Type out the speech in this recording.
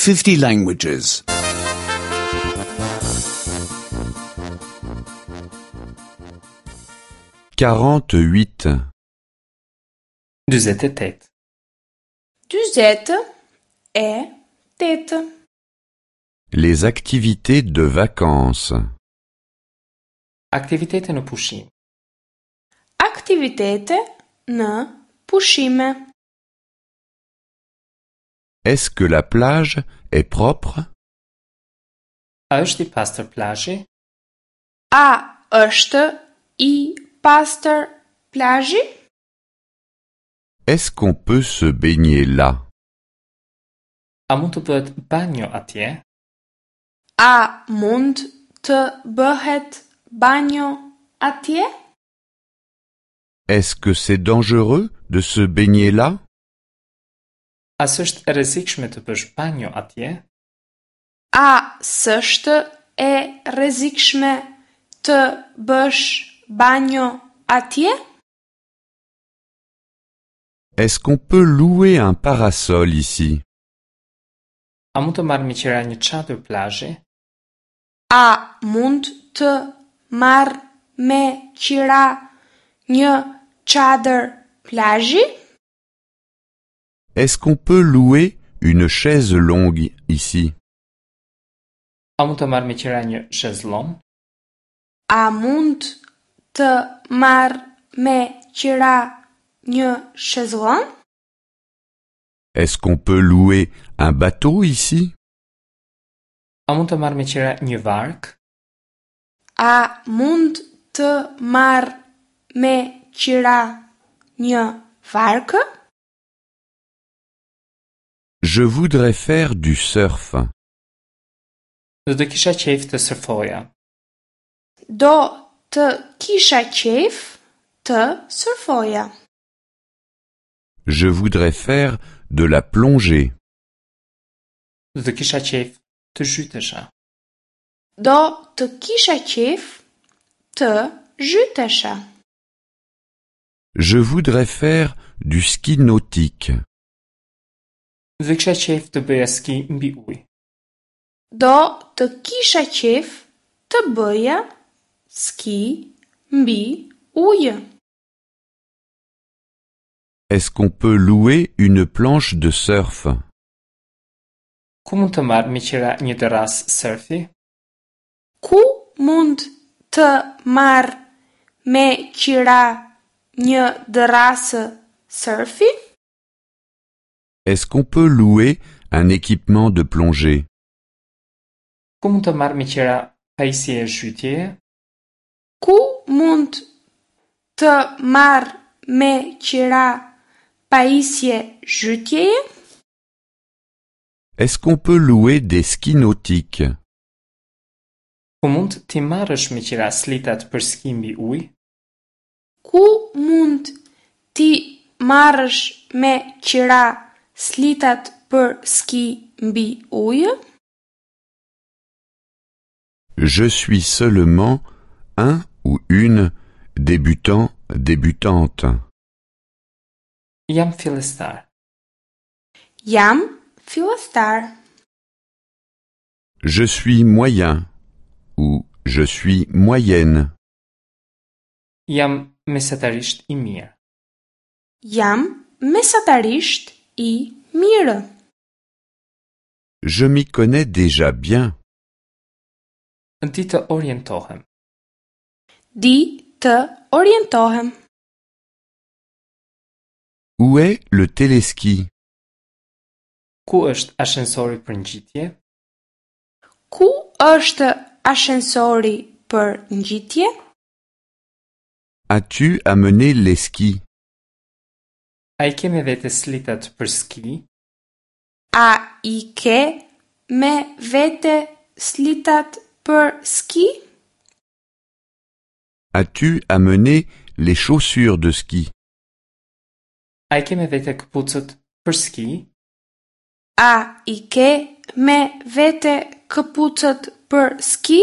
50 languages. 48. 48. 48. Les activités de vacances. Aktivitete në pushim. Aktivitete në pushime. Est-ce que la plage est propre? A është i pastër plazhi? A është i pastër plazhi? Est-ce qu'on peut se baigner là? A mund të bëhet banjo atje? A mund të bëhet banjo atje? Est-ce que c'est dangereux de se baigner là? A s'është e rrezikshme të bësh banjo atje? A s'është e rrezikshme të bësh banjo atje? Est-ce qu'on peut louer un parasol ici? A mund të marr me qira një çadër plazhi? A mund të marr me qira një çadër plazhi? Est-ce qu'on peut louer une chaise longue ici? A mund të marr me qira një shezlon? A mund të marr me qira një shezlon? Est-ce qu'on peut louer un bateau ici? A mund të marr me qira një varkë? A mund të marr me qira një varkë? Je voudrais faire du surf. Do të kisha qejf të surfoja. Do të kisha qejf të surfoja. Je voudrais faire de la plongée. Do të kisha qejf të zhytesha. Do të kisha qejf të zhytesha. Je voudrais faire du ski nautique. Do të kisha qejf të bëja ski mbi ujë. Do të kisha qejf të bëja ski mbi ujë. Est-ce qu'on peut louer une planche de surf? Ku mund të marr me qira një dërrasë surfi? Ku mund të marr me qira një dërrasë surfi? Est-ce qu'on peut louer un équipement de plongée? Ku mund të marr me qira pajisje zhytjeje? Ku mund të marr me qira pajisje zhytjeje? Est-ce qu'on peut louer des skis nautiques? Ku mund t'i marrësh me qira slitat për ski mbi ujë? Ku mund t'i marrësh me qira slitat për ski mbi ujë? Je suis seulement un ou une débutant, débutante. Jam fillestar. Jam fillestar. Je suis moyen ou je suis moyenne. Jam mesatarisht i mirë. Jam mesatarisht i mirë. Je m'y connais déjà bien. Di të orientohem. Di të orientohem. Où est le téléski? Ku është ashensori për ngjitje? Ku është ashensori për ngjitje? As-tu amené les skis? A i ke me vete slitat për ski? A i ke me vete slitat për ski? As-tu amené les chaussures de ski? A i ke me vete këpucët për ski? A i ke me vete këpucët për ski?